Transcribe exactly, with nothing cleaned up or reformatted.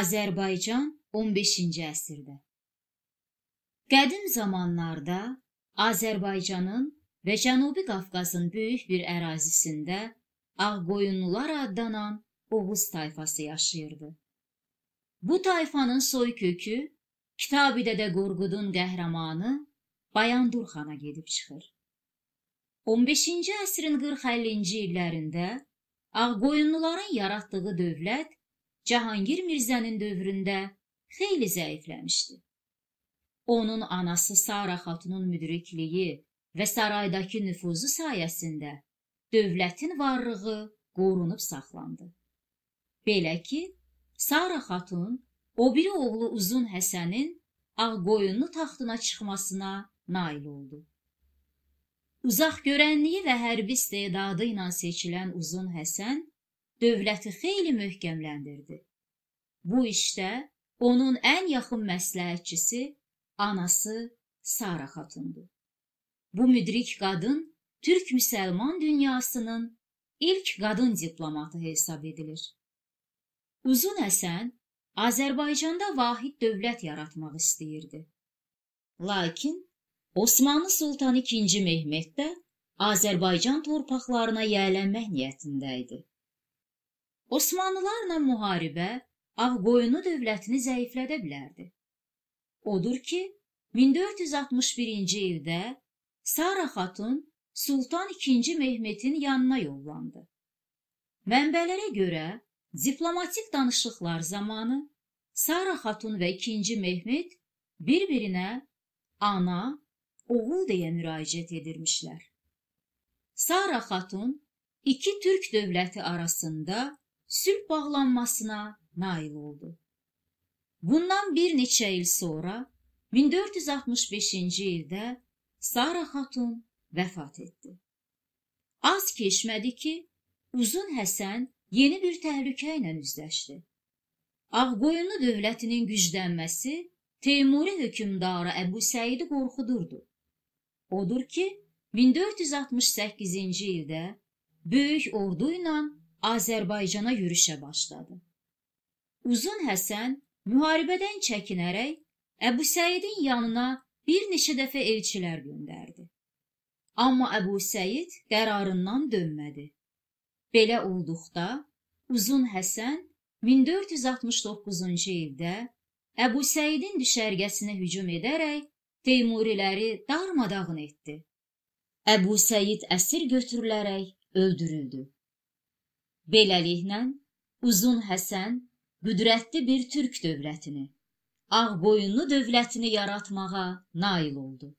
Azərbaycan on beşinci əsrdə. Qədim zamanlarda Azərbaycanın və Cənubi Qafqazın böyük bir ərazisində Ağqoyunlular adlanan Oğuz tayfası yaşayırdı. Bu tayfanın soy kökü Kitab-ı Dədə Qorqudun qəhrəmanı Bayandur xana gedib çıxır. on beşinci əsrin qırx əllinci illərində Ağqoyunluların yaratdığı dövlət Cahangir Mirzənin dövründə xeyli zəifləmişdi. Onun anası Sara xatunun müdrikliyi və saraydakı nüfuzu sayəsində dövlətin varlığı qorunub saxlandı. Belə ki, Sara xatun o biri oğlu Uzun Həsənin Ağqoyunlu taxtına çıxmasına nail oldu. Uzaq görənliyi və hərbi istedadı ilə seçilən Uzun Həsən dövləti xeyli möhkəmləndirdi. Bu işdə onun ən yaxın məsləhətçisi anası Sara xatundu. Bu müdrik qadın Türk-Müsəlman dünyasının ilk qadın diplomatı hesab edilir. Uzun Həsən Azərbaycanda vahid dövlət yaratmaq istəyirdi. Lakin Osmanlı Sultanı ikinci Mehmet də Azərbaycan torpaqlarına yiyələnmək niyyətində idi. Osmanlılarla müharibə Ağqoyunlu dövlətini zəiflədə bilərdi. Odur ki, min dörd yüz altmış birinci ildə Sara xatun Sultan ikinci Mehmetin yanına yollandı. Mənbələrə görə diplomatik danışıqlar zamanı Sara xatun və ikinci Mehmet bir-birinə ana, oğul deyə müraciət edirmişlər. Sara xatun iki Türk dövləti arasında sülh bağlanmasına nail oldu. Bundan bir neçə il sonra min dörd yüz altmış beşinci ildə Sara xatun vəfat etdi. Az keçmədi ki, Uzun Həsən yeni bir təhlükə ilə üzləşdi. Ağqoyunlu dövlətinin güclənməsi Teymuri hökmdarı Əbu Səidi qorxudurdu. Odur ki, min dörd yüz altmış səkkizinci ildə böyük ordu ilə Azərbaycana yürüşə başladı. Uzun Həsən müharibədən çəkinərək Əbu Səidin yanına bir neçə dəfə elçilər göndərdi. Amma Əbu Səid qərarından dönmədi. Belə olduqda Uzun Həsən min dörd yüz altmış doqquzuncu ildə Əbu Səidin düşərgəsinə hücum edərək Teymuriləri darmadağın etdi. Əbu Səid əsir götürülərək öldürüldü. Beləliklə, Uzun Həsən qüdrətli bir Türk dövlətini, Ağqoyunlu dövlətini yaratmağa nail oldu.